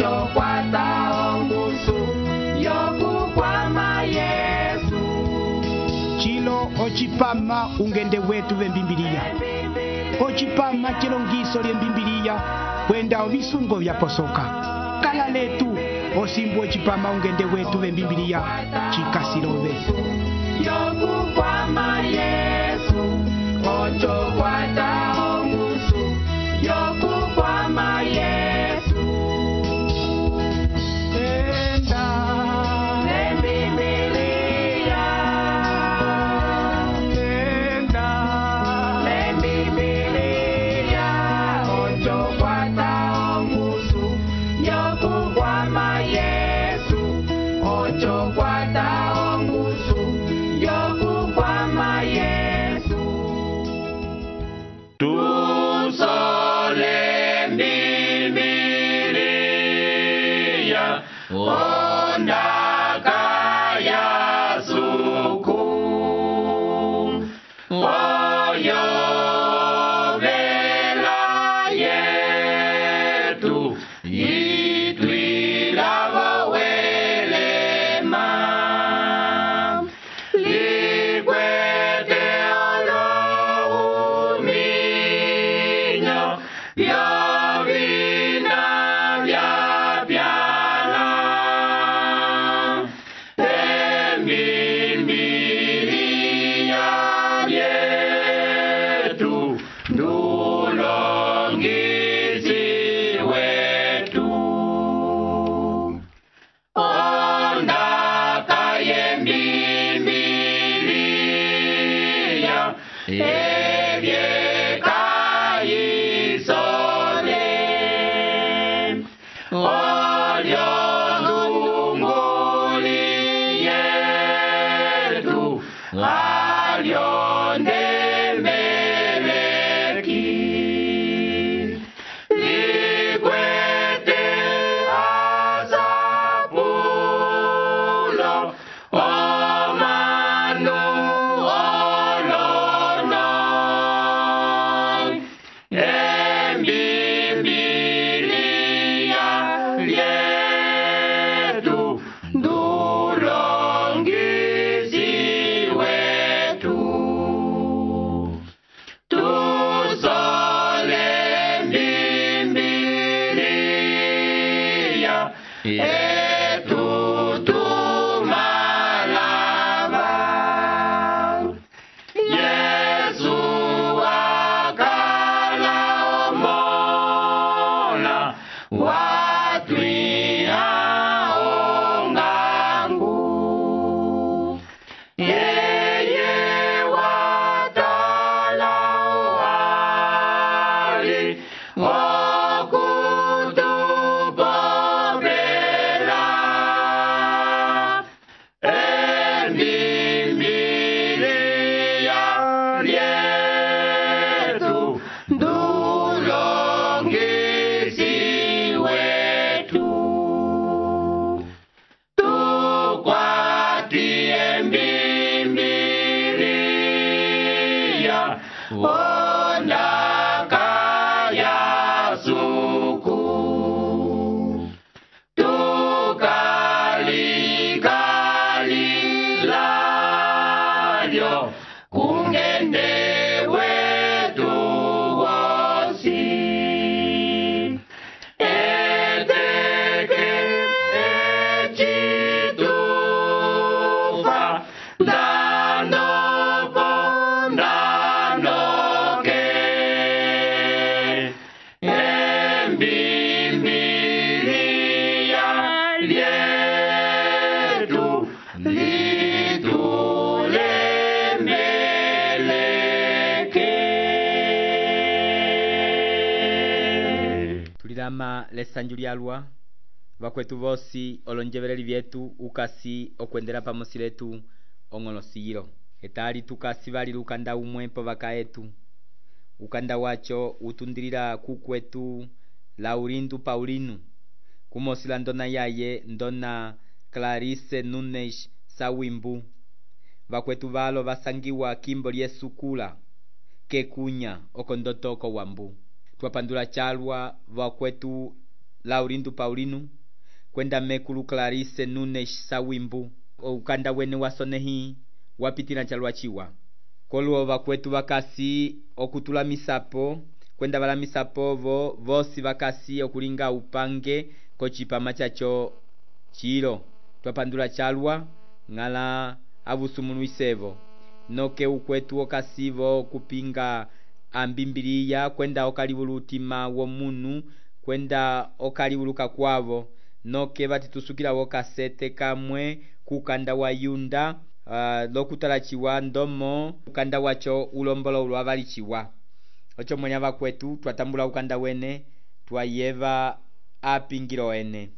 ocho kwata ongusu yokukwama Yesu. Chilo ochipama ungende wetu vembimbiliya. Ochipama chilongiso lyembimbiliya kwenda ovisungo vyaposoka. Kala letu osimbu ochipama ungende wetu vembimbiliya chikasilove. Yokukwama Yesu, ocho kwata ongusu yokukwama Yesu. Enda Lembimbiliya, enda lembimbiliya, ocho kwata ongusu yokukwama Yesu, ocho kwata ongusu yokukwama Yesu. Tusole Biblia, ondaka ya suku, oyo vela yetu, itwilavo welema, likwete olohuminyo, vyovina vyapyala, embimbiliya yetu, ndulongisi wetu. Ondaka yembimbiliya, ebyeka isole, olyo ndunguli yetu, alyo ndemeleki, likwete asapulo, omanu olono, embimbiliya yetu, ndulongisi wetu. Tusole Biblia, etutumalava. Yesu akala omola, watwiha ongangu. Yeye watala wali, okutupopela, embimbiliya lyetu, ndulongisi wetu. Tukwati embimbiliya, ondaka ya suku, tukalikalilyo, kungende wetu wosi, eteke echitufa, ndandopo ndandoke, embimbiliya lyetu, litulemeleke. Tulilama lesanju lyalwa vakwetu vosi olonjeveleli vyetu ukasi okwendela pamosi letu ong'olosiyilo etali tukasi vali lukanda umwe po vaka etu. Ukanda wacho utundilila kukwetu Laurindu Paulino kumosila ndona yaye ndona Clarice Nunes Sawimbu. Vakwetu valo vasangiwa kimbo lyesukula kekunya okondotoko wambu. Twapandula chalwa vakwetu Laurindo Paulino kwenda mekulu Clarice Nunes Sawimbu ukanda wene wasonehi wapitila chalwa chiwa koluo vakwetu vakasi okutula misapo kwenda vala misapovo vosi vakasi okulinga upange kochipama chacho chilo twapandula chalwa ngala avusumunuisevo noke ukwetu okasivo kupinga ambimbiliya kwenda okaliwulu utima womunu kwenda okaliwuluka kwavo noke vatitusukila wokasete kamwe kukanda wa Yunda lokutalachiwa ndomo ukanda wacho ulombolo ulwavalichiwa ocho mwenya vakwetu twatambula ukanda wene twayeva apingilo ene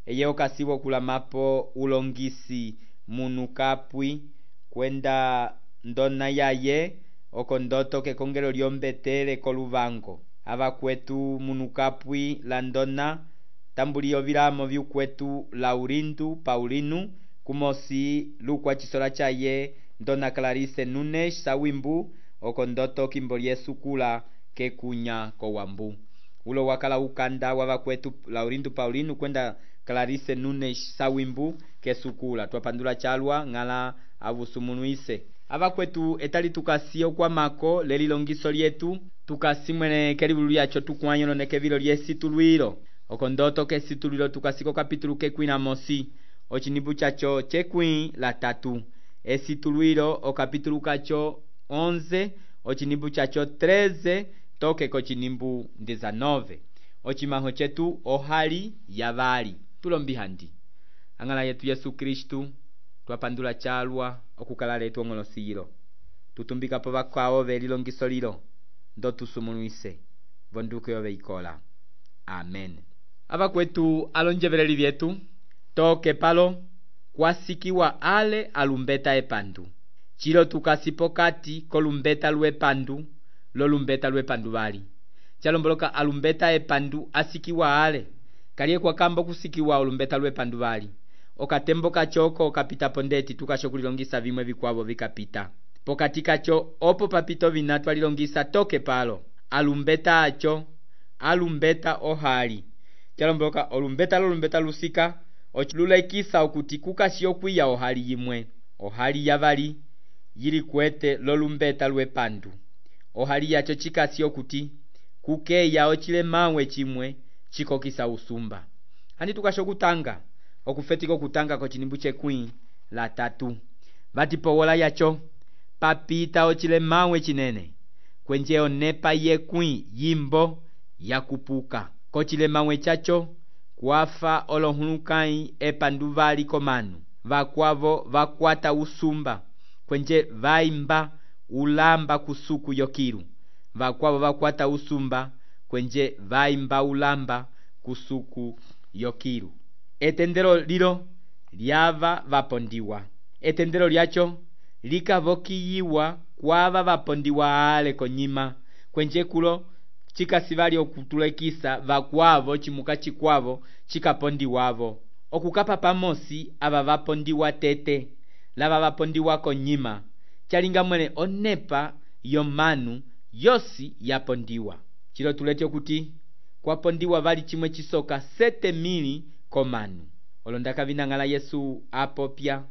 eye okasivo kulamapo ulongisi munu kapwi kwenda ndona yaye okondoto kekongelo lyombetele koluvango avakwetu munu kapwi la ndona tambulio vilamo vyukwetu Laurindo Paulino kumosi lukwa chisola chaye ndona Clarice Nunes Sawimbu okondoto kimbo lyesukula kekunya kowambu ulo wakala ukanda wavakwetu Laurindo Paulino kwenda Clarice Nunes Sawimbu kesukula twapandula chalwa ngala avusumunuise avakwetu etali tukasio kwa mako lelilongiso lyetu tukasimwene kelivulu lyacho tukwanyo neke vilo lyesitulwilo okondoto kesitulwilo tukasiko kapitulu kekwina mosi ochinibu chacho chekwi la 3 esitulwilo okapitulu kacho 11 ochinibu chacho 13 toke kochinimbu 19 ochimaho chetu ohali yavali tulombihandi angala yetu Yesu Kristu twapandula chalwa okukala letu ongolosilo tutumbika po vakao velilongiso lilo ndo tusumunuise vonduke yoveikola amen avakwetu alonjeveleli vyetu toke palo kwasikiwa ale alumbeta epandu chilo tukasipo kati kolumbeta lwepandu lolumbeta lwepandu vali chalomboloka alumbeta epandu asikiwa ale kaliye kwa kambo kusikiwa olumbeta lwepandu vali okatembo kachoko kapita pondeti tukashokulilongisa vimwe vikwavo vikapita pokati kacho opo papito vinatu alilongisa toke palo alumbeta acho alumbeta ohali chalomboloka olumbeta lusika ochilulaikisa okuti kukashiyo kwiya ohali yimwe ohali yavali yili kwete lolumbeta lwepandu ohali yacho chikasi okuti kukeya ochile mawe chimwe chikokisa usumba andi tukashokutanga okufetiko kutanga kochinimbu chekwi la 3 vatipowola yacho papita ochile mawe chinene kwenje onepa yekwi yimbo yakupuka kochile mawe chacho kwafa olohulukai epandu vali komanu vakwavo vakwata usumba kwenje vaimba ulamba kusuku yokilu vakwavo vakwata usumba kwenje vaimba ulamba kusuku yokilu etendelo lilo lyava vapondiwa etendelo lyacho likavokiyiwa kwava vapondiwa ale konyima kwenje kulo chikasivali okutulekisa vakwavo chimuka chikwavo chikapondiwavo okukapa pamosi ava vapondiwa tete lava vapondiwa konyima chalinga mwene onepa yomanu yosi yapondiwa chilo tulete okuti kwapondiwa vali chimwe chisoka 7,000 komanu olondaka vinang'ala Yesu apopya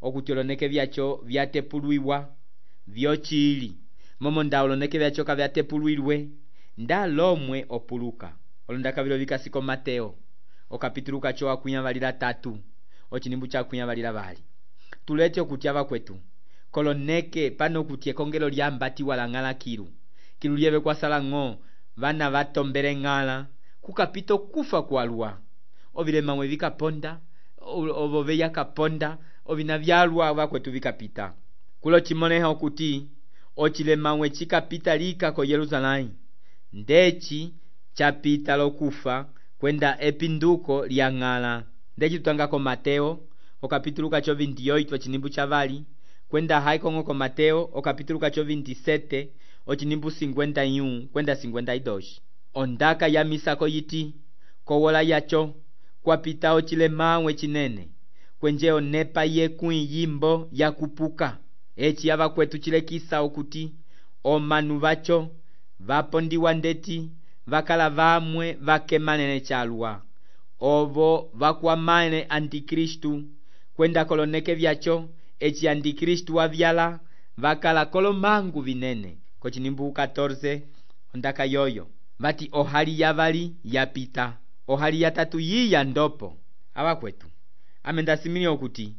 okuti oloneke vyacho vyatepulwiwa vyochili momo nda oloneke vyacho kavyatepulwilwe nda lomwe opuluka olondaka vilo vikasiko Mateo okapitulu kacho akunya valila 3 ochinimbu chakunya valila vali tulete okuti avakwetu koloneke pano kuti ekongelo lyambati wala ng'ala kilu lyeve kwasala ng'o vana vatombele ng'ala kukapito kufa kwalwa ovilema mwe vikaponda ovove yakaponda ovina vyalwa vakwetu vikapita kulo chimoneha okuti ochilema mwe chikapita lika ko Yerusalemu ndechi chapita lokufa kwenda epinduko lya ng'ala ndechi tutangako Mateo okapitulu kacho 28 ochinimbu chavali kwenda haikong'o ko Mateo okapitulu kacho 27 ochinimbu 51 kwenda 52 ondaka ya misako yiti kowola yacho kwapita ochilema mwe chinene kwenje onepa yekwi yimbo yakupuka echi yava kwetu chilekisa okuti omanu vacho vapondiwa ndeti vakala vamwe vakemanene chalwa ovo vakwamale antikristu kwenda koloneke vyacho eci antikristu wavyala vakala kolomangu vinene. Kochinimbu 14 ondaka yoyo vati ohali yavali yapita, ohali yatatu yiya ndopo. Avakwetu amendasimile okuti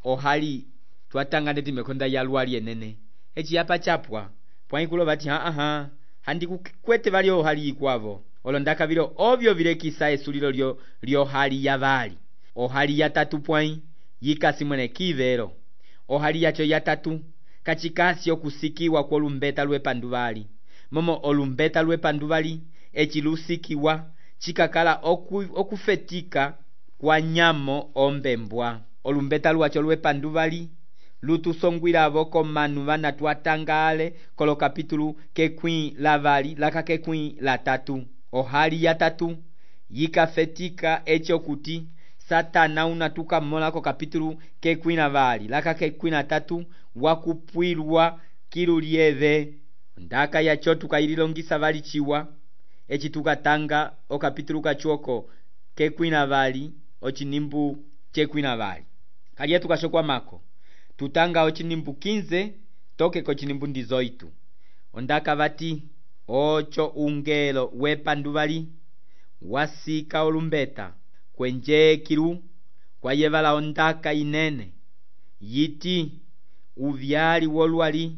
ohali twatanga ndeti mekonda yalwali enene eci yapa chapwa pwaikulo vati handi kukwete vali ohali ikwavo olondaka vilo ovyo vilekisa esulilo lyohali yavali. Ohali yatatu pwai yikasimwene kivero, ohali yacho yatatu kachikasi okusikiwa kolumbeta lwepanduvali, momo olumbeta lwepanduvali eci lusikiwa chikakala okufetika kwa nyamo ombembwa. Olumbeta lwacho lwepanduvali lutusongwilavo komanu vana twatangale kolo kapitulu kekwi lavali laka kekwi latatu. Ohali yatatu yikafetika echo kuti Satana unatuka mola ko kapitulu kekwi lavali laka kekwi latatu wakupwilwa kilu lieve. Ndaka yacho tukaililongisa vali chiwa eci tukatanga o kapitulu kachuoko kekwi lavali ochinimbu chekwi lavali. Kaliye tukashokwa mako tutanga ochinimbu 15 toke kochinimbu 18 ondaka vati ocho ungelo wepanduvali wasika olumbeta kwenje kilu kwa yevala ondaka inene yiti uvyali wolwali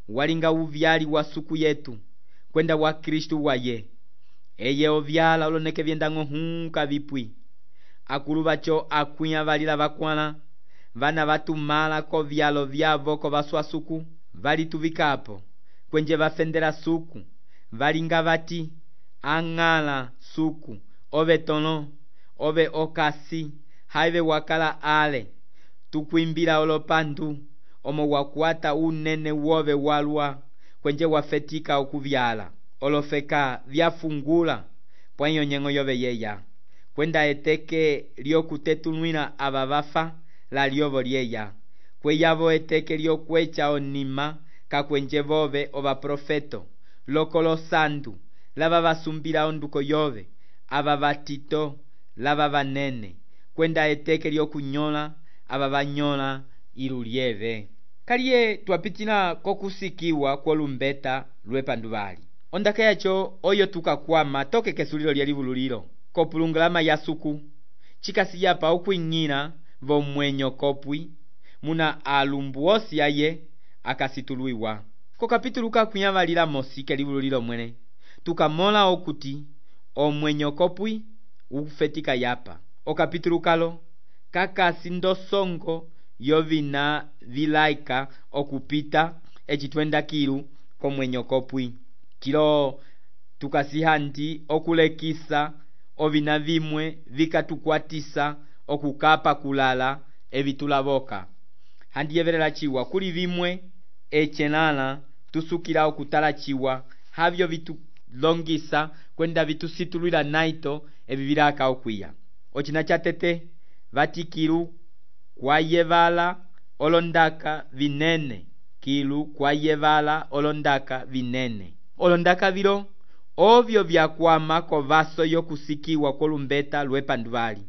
walinga uvyali wa suku yetu kwenda wa Kristu waye eye ovyala oloneke vyendango hunka vipwi akulu vacho akwiya valila vakwala vana vatumala ko vyalo vyavo ko vaswa suku valituvikapo kwenje vafendela suku valinga vati ang'ala suku ove tono ove okasi haive wakala ale tukwimbila olopandu omo wakwata unene wove walwa kwenje wafetika okuvyala olofeka vyafungula pwayo nyengo yove yeya kwenda eteke lyokutetulwila ava vafa la lyovo lyeya kweyavo eteke lyokwecha onima kakwenje vove ova profeto lokolo sandu lava vasumbila onduko yove ava vatito lava vanene kwenda eteke lyokunyola ava vanyola ilu lieve. Kaliye twapitila kokusikiwa kolumbeta lwepanduvali ondaka yacho oyo tukakwama toke kesulilo lyelivululilo kopulungulama ya suku chikasiyapa okwing'ila vomwenyo kopwi muna alumbu osi aye akasitulwiwa. Ko kapitulu kakwiya valila mosi kelivululilo mwene tukamola okuti omwenyo kopwi ufetika yapa. O kapitulu kalo kakasi ndosongo yovina vilaika okupita eci twenda kilu komwenyo kopwi kilo tukasihandi okulekisa ovina vimwe vikatukwatisa okukapa kulala evitulavoka handi yevelela chiwa kuli vimwe echenala tusukila okutala chiwa havyo vitulongisa kwenda vitusitulwila naito evi vilaka okwiya. Ochina chatete vati kilu kwa yevala olondaka vinene, kilu kwa yevala olondaka vinene. Olondaka vilo ovyo vyakwama ko vaso yokusikiwa kolumbeta lwepanduvali.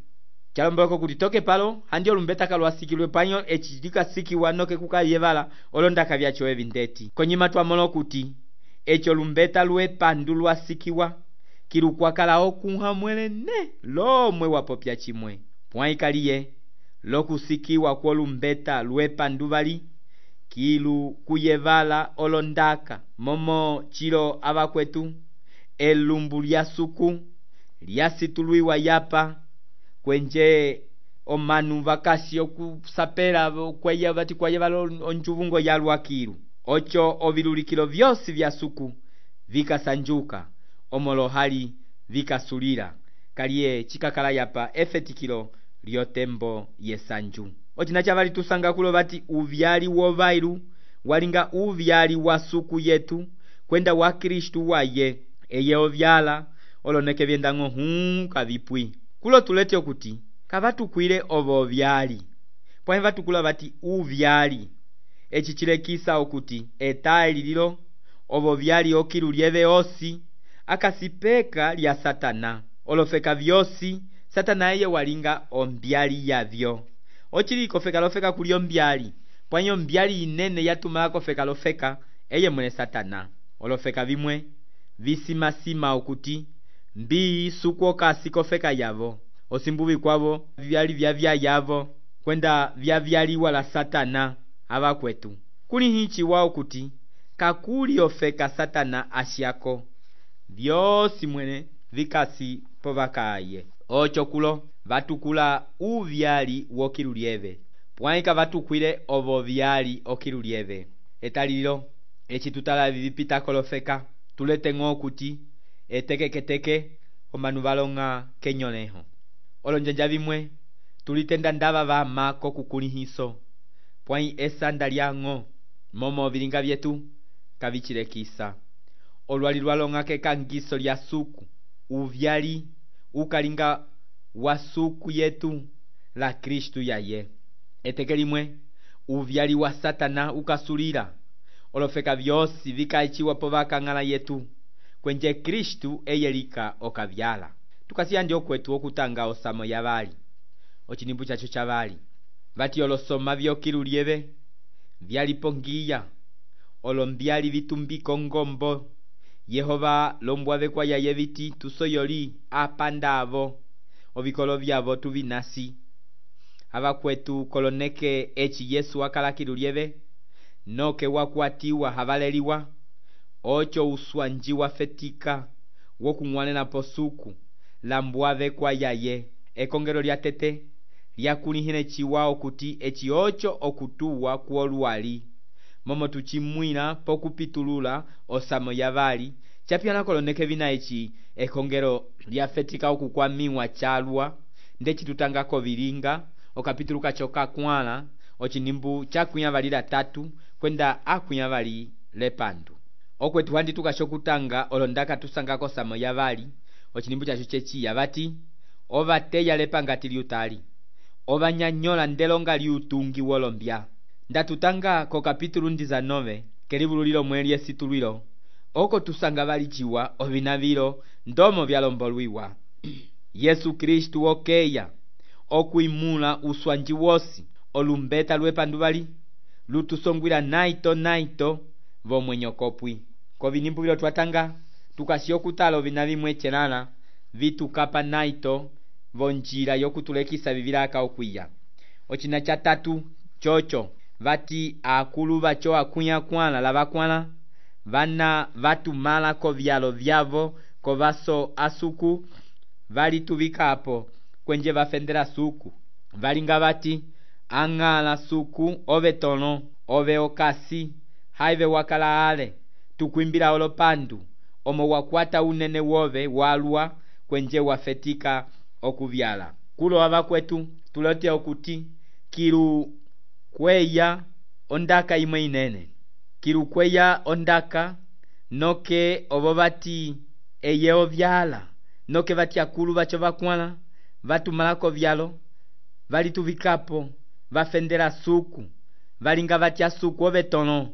Chalomboko kuti toke palo handi olumbeta kalwasikilwe panyo echidika sikiwa noke kuka yevala olondaka vyacho evindeti. Konyima twamola kuti echo lumbeta lwepandu lwasikiwa kilu kwakala okunha mwelene lomwe wapopya chimwe. Pwaikaliye lokusikiwa kolumbeta lwepanduvali kilu kuyevala olondaka momo chilo avakwetu elumbu lya suku lyasitulwiwa yapa kwenje omanu vakasi okusapela kweya vati kwayevala onjuvungo yalwa kilu ocho ovilulikilo vyosi vya suku vikasanjuka omolohali vikasulila kaliye chikakala yapa efetikilo lyotembo yesanju. Ochina chavali tusanga kulo vati uvyali wovailu walinga uvyali wa suku yetu kwenda wa Kristu waye eye ovyala oloneke vyendango hunka vipwi kulo tulete okuti kavatukwile ovo vyali pwahe vatukula vati uvyali echi chilekisa okuti etaili lilo ovo vyali okilu lieve osi akasipeka lya Satana olofeka vyosi Satana eye walinga ombyali yavyo. Ochili kofeka kuli ombyali. Pwanyo ombyali inene yatumala kofeka eye mwene Satana. Olofeka vimwe visimasima okuti mbii sukwokasi kofeka yavo. Osimbuvi kwavo vyali vyavya yavo kwenda vyavyaliwa la Satana ava kwetu. Kuli hichi wao kuti kakuli ofeka Satana ashiako vyosi mwene vikasi povakaye. Ocho kulo vatukula uvyali wokilulieve. Pwaika vatukwile ovo vyali okilulieve. Etalilo echi tutala vivipita kolofeka tulete ng'o kuti eteke omanu valonga kenyoleho. Olonjanja vimwe tulitenda ndava vama kokukulihiso. Pwai esanda liang'o momo vilinga vyetu kavichilekisa. Olwali lwalonga kekangiso lya suku uvyali ukalinga wa suku yetu la Kristu yaye. Eteke limwe uvyali wa Satana ukasulila. Olofeka vyosi vikaichiwa povaka ngala yetu kwenje Kristu eyelika okavyala. Tukasiya ndio kwetu okutanga osamo ya vali. Ochinimbu chacho cha vali vati olosoma vyokilulieve vyalipongiya olombyali vitumbiko ngombo. Yehova lombwave kwa yaye viti tusoyoli apandavo ovikolo vyavo tuvinasi. Ava kwetu koloneke echi Yesu wakala kilulieve noke wakwatiwa havaleliwa. Ocho uswanji wafetika wokung'wanena posuku lambwave kwa yaye. Ekongelo lya tete lyakulihine chiwao kuti echi ocho okutuwa kuolwali momo tuchimwina pokupitulula osamo ya vali. Chapiana koloneke vina echi ekongelo lyafetika okukwamiwa chalwa ndechi tutangako vilinga okapituluka choka kwala ochinimbu chakunya valila tatu kwenda akunya vali lepandu. Okwetu handi tukashokutanga olondaka tusangako samo ya vali ochinimbu chacho chechi yavati ovateya lepangati liutali ovanyanyola ndelonga liutungi wolombya. Ndatutanga ko kapitulu 19 kelivululilo mweli esitulwilo oko tusanga valichiwa ovinavilo ndomo vyalombolwiwa. Yesu Kristu okeya okuimula uswanji wosi olumbeta lwepandu vali lutusongwila naito vomwenyo kopwi. Kovinimbu vilo twatanga tukasiokutala ovinavimwe chelala vitukapa naito vonjila yokutulekisa vivilaka okwiya. Ochina cha tatu chocho vati akulu vacho akunya kwala lavakwala vana vatumala kovyalo vyavo kovaso asuku valituvikapo kwenje vafendela suku valinga vati ang'ala suku ove tono ove okasi haive wakala ale tukwimbila olopandu omo wakwata unene wove walwa kwenje wafetika okuvyala. Kulo ava kwetu tulote okuti kilu kweya ondaka imwe inene. Kilu kweya ondaka noke ovo vati eye ovyala noke vati akulu vacho vakwala vatumalako vyalo valituvikapo vafendela suku valinga vati asuku ove tono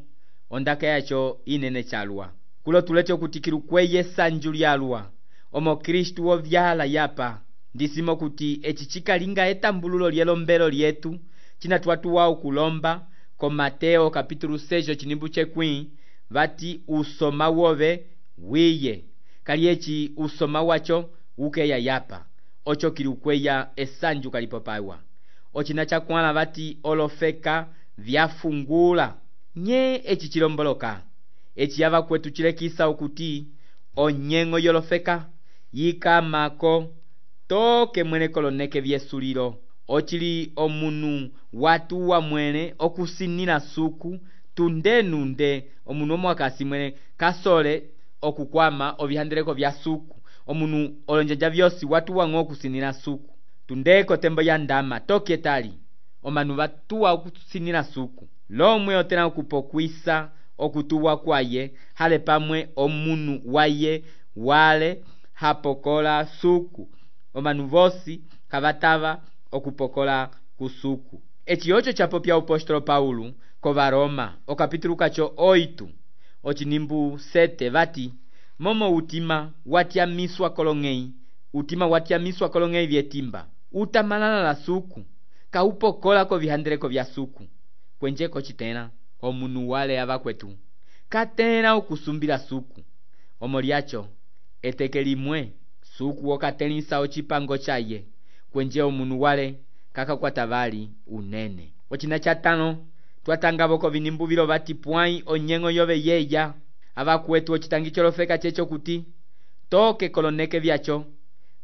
ondaka yacho inene chalwa. Kulo tulete okuti kilu kweye sanju lyalwa omo Kristu ovyala yapa ndisimo kuti echi chikalinga etambululo lyelombelo lyetu china twatuwa okulomba ko Mateo kapitulu 6 chinimbu chekwi vati usoma wove wiye kali echi usoma wacho ukeya yapa ocho kilikweya esanju kalipopaiwa. Ochina chakwala vati olofeka vyafungula nye echi chilomboloka echi yava kwetu chilekisa okuti onyengo yolofeka yikamako toke mwene koloneke vyesulilo ochili omunu watu wa mwene okusinila suku tundenunde omunu omwakasi mwene kasole okukwama ovihandeleko vya suku omunu olonjanja vyosi watu wang'o okusinila suku tundeko tembo ya ndama toke tali omanu vatuwa okusinila suku lomwe otena okupokwisa okutuwa kwaye hale pamwe omunu waye wale hapokola suku omanu vosi kavatava okupokola kusuku. Echi ocho chapopya apostolo Paulo ko Varoma okapitulu kacho 8 ochinimbu 7 vati momo utima watyamiswa kolong'ei utima watyamiswa kolong'ei vyetimba utamalala la suku kaupokola kovihandeleko vya suku kwenje kocitela omunu wale avakwetu katela okusumbila suku omo lyacho eteke limwe suku okatelisa ocipango chaye kwenje omunu wale kakakwata vali unene. Ocina cha tano twatangavo kovinimbu vati pwai onyeng'o yove yeya avakwetu ocitangicho lofeka checho kuti toke koloneke vyacho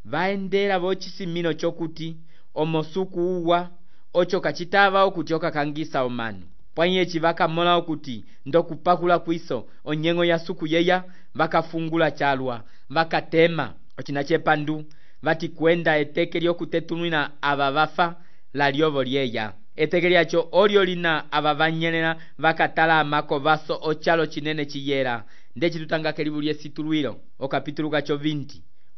vaendela vocisimino chokuti omo suku uwa ocho kacitava okuti okakangisa omanu pwai eci vakamola okuti ndokupakula kwiso onyeng'o ya suku yeya vakafungula chalwa vakatema. Ocina chepandu vati kwenda eteke lyokutetulwila ava vafa la lyovo lyeya eteke lyacho olyo lina ava vanyelela vakatala amako vaso ochalo cinene ciyela ndeci tutanga kelivu lyesitulwilo okapitulu kacho 20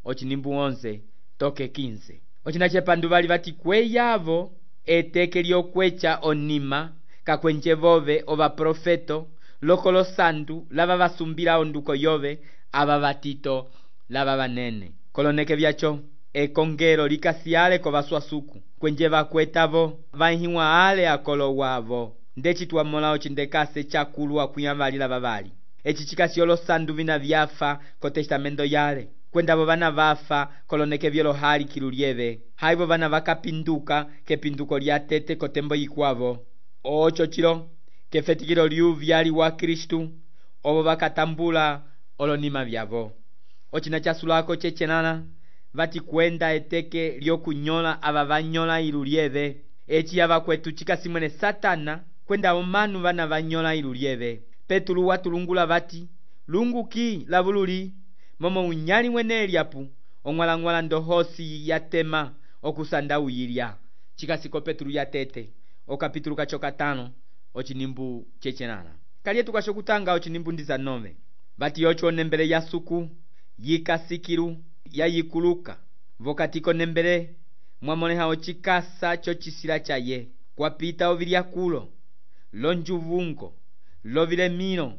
ocinimbu 11 toke 15. Ocina chepandu vali vati kweyavo eteke lyokwecha onima kakwenje vove ovaprofeto lokolo sandu lava vasumbila onduko yove ava vatito lava vanene koloneke vyacho ekongelo likasiyale kovaswa suku kwenje vakwetavo vahiwa ale akolo wavo ndeci twamola ocindekase chakulu akuyavalila vavali eci cikasiyolo sandu vina vyafa ko testamento yale kwendavo vana vafa koloneke vyolo hali kilu lyeve haivo vana vakapinduka kepinduko lya tete kotembo yikwavo ocho cilo kefetikilo lyuvyali wa Kristu ovo vakatambula olonima vyavo. Ocina chasulako chechelala vati kwenda eteke lyokunyola ava vanyola ilu lyeve eci avakwetu cikasimwene Satana kwenda omanu vana vanyola ilu lyeve. Petulu watulungula vati lunguki lavululi momo unyali mwene Eliapu ong'walang'wala ndohosi yatema okusanda uyilya cikasiko Petulu yatete okapitulu kacho 5 ocinimbu chechelala kalyetu kasho kutanga ocinimbu 19 vati ocho onembele ya suku yikasikilu yayikuluka vokatiko nembele mwamoleha ocikasa chocisila chaye kwapita ovilyakulo lonjuvungo lovilemilo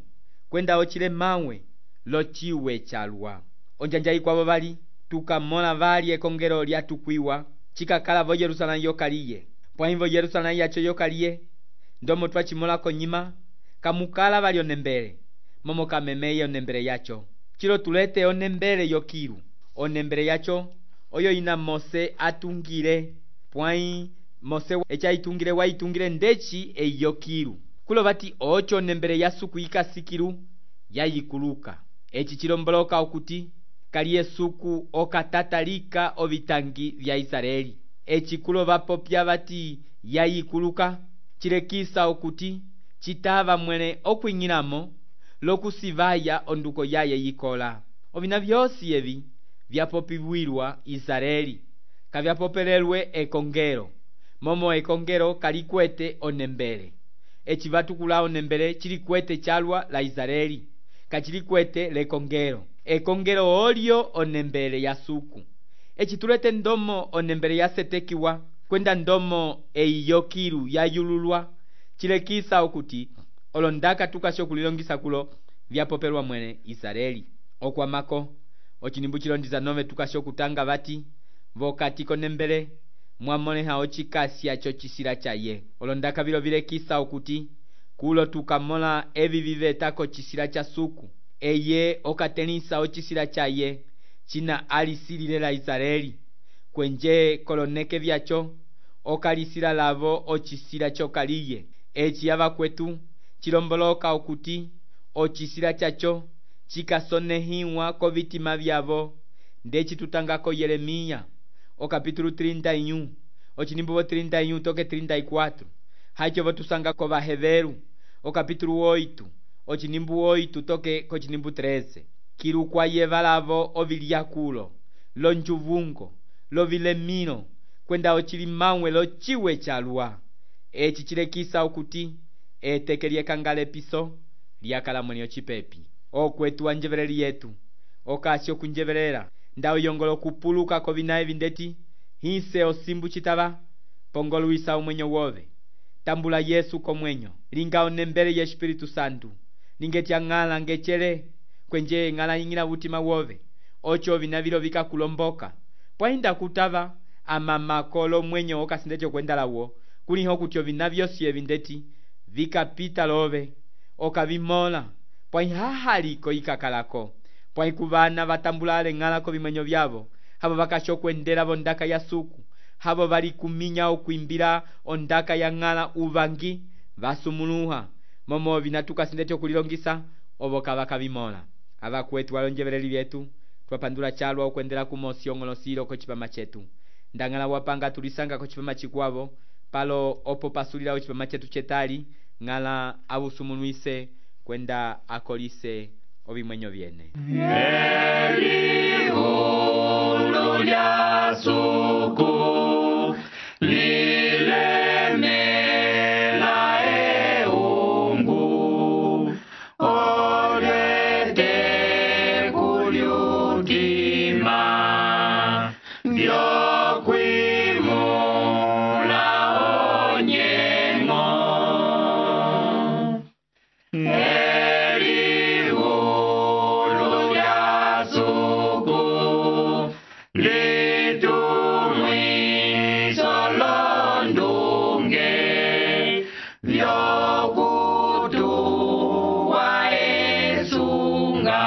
kwenda ocile mawe lociwe chalwa. Onjanja ikwavo vali tukamola vali ekongelo lyatukwiwa cikakala vo Yerusalemu yokaliye pwai vo Yerusalemu yacho yokaliye ndomo twacimola konyima kamukala vali onembele momo kamemeye onembele yacho cilo tulete onembele yokilu onembele yacho oyo ina Mose atungile pwai Mose echa itungile waitungile ndeci eyokilu kulo vati ocho onembele ya suku yikasikilu yayikuluka eci cilomboloka okuti kaliye suku okatatalika ovitangi vya Israeli eci kulo vapopya vati yayikuluka cilekisa okuti citava mwene okwing'ilamo lokusivaya onduko yaye yikola. Ovina vyosi evi vyapopiwilwa Israeli kavyapopelelwe ekongelo momo ekongelo kalikwete onembele eci vatukula onembele cilikwete chalwa la Israeli kacilikwete lekongelo ekongelo olyo onembele ya suku eci tulete ndomo onembele yasetekiwa kwenda ndomo eiyokilu yayululwa cilekisa okuti olondaka tukasho kulilongisa kulo vyapopelwa mwene Israeli. Okwamako ocinimbu cilo 19 tukasho kutanga vati vokati konembele mwamoleha ocikasya chocisila chaye olondaka vilo vilekisa okuti kulo tukamola evi vivetako cisila cha suku eye okatelisa ocisila chaye cina alisilile la Israeli kwenje koloneke vyacho okalisila lavo ocisila chokaliye eci avakwetu cilomboloka okuti ocisila chacho cikasonehiwa kovitima vyavo ndeci tutangako Yeremiya okapitulu 31 ocinimbu 31 toke 34 hacho votusanga ko Vaheveru okapitulu 8 ocinimbu 8 toke kocinimbu 13 kilukwa yevalavo ovilyakulo lonjuvungo lovilemilo kwenda ocilimawe lociwe chalwa eci cilekisa okuti eteke lyekangala piso lyakala mwene ocipepi. Okwetu wanjeveleli yetu okasi okunjevelela nda uyongolo okupuluka kovina evi ndeti hise osimbu citava pongoluisa umwenyo wove tambula Yesu komwenyo linga onembele ye Espiritu Santu lingeti ang'ala ngecele kwenje ng'ala ing'ila utima wove ocho vina vilo vikakulomboka pwahinda kutava amamakolo mwenyo okasindeti okwendalawo kuliho kuti ovina vyosi evi ndeti vikapita love okavimola pwahihahaliko ikakalako pwahikuvana vatambulale ng'alako vimwenyo vyavo havo vakasha okwendela vondaka ya suku havo vali kuminya okwimbila ondaka ya ng'ala uvangi vasumuluha momo vina tukasindeti okulilongisa ovo kava kavimola avakwetu walonjeveleli vyetu twapandula chalwa okwendela kumosi ong'olosilo kocipama chetu ndang'ala wapanga tulisanga kocipama chikwavo palo opo pasulila ocipama chetu chetali ng'ala avusumulwise kwenda akolise ovimwenyo vyene Elihulu lya suku lilemela eungu olete kulyutima vyokwimula onyengo Elihulu lya suku litumwiso londunge vyokutuwa esunga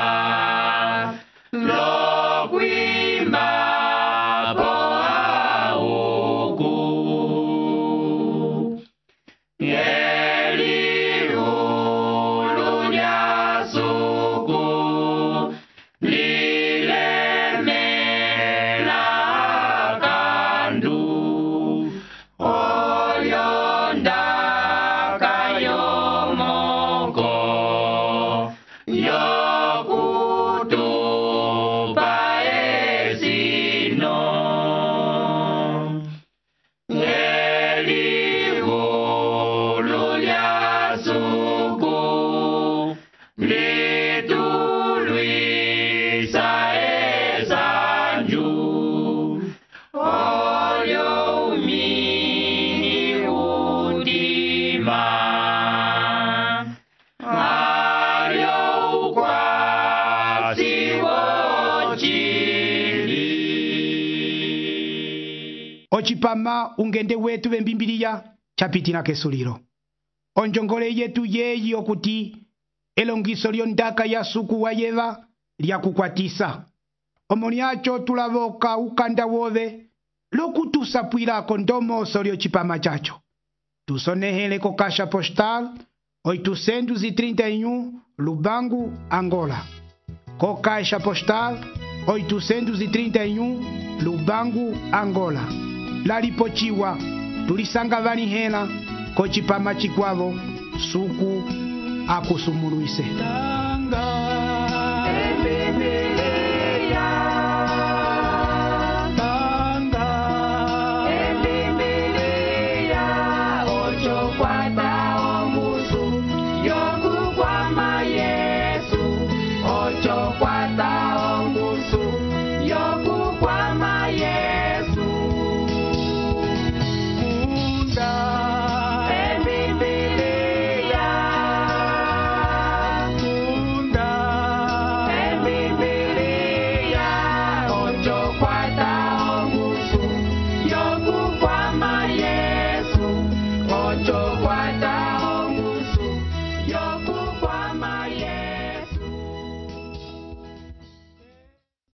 lokwimba po auku Elihulu lya suku lilemela kandu oyondaka yomoko yokutupa esino Elihulu lya suku litulwisa esanju olyo umini udima alyo ukwasi wochili ocipama ungende wetu vembimbiliya chapitila kesulilo onjongole yetu yeyi okuti elongiso lyondaka ya suku wayeva lyakukwatisa omo lyacho tulavoka ukanda wove lokutusapwilako ndomoso lyocipama chacho tusonehele ko caixa postal 831 Lubangu, Angola. Co caixa postal 831 Lubangu, Angola. Lalipochiwa tulisanga vanihela kocipama chikwavo suku akusumuluise. Tanga,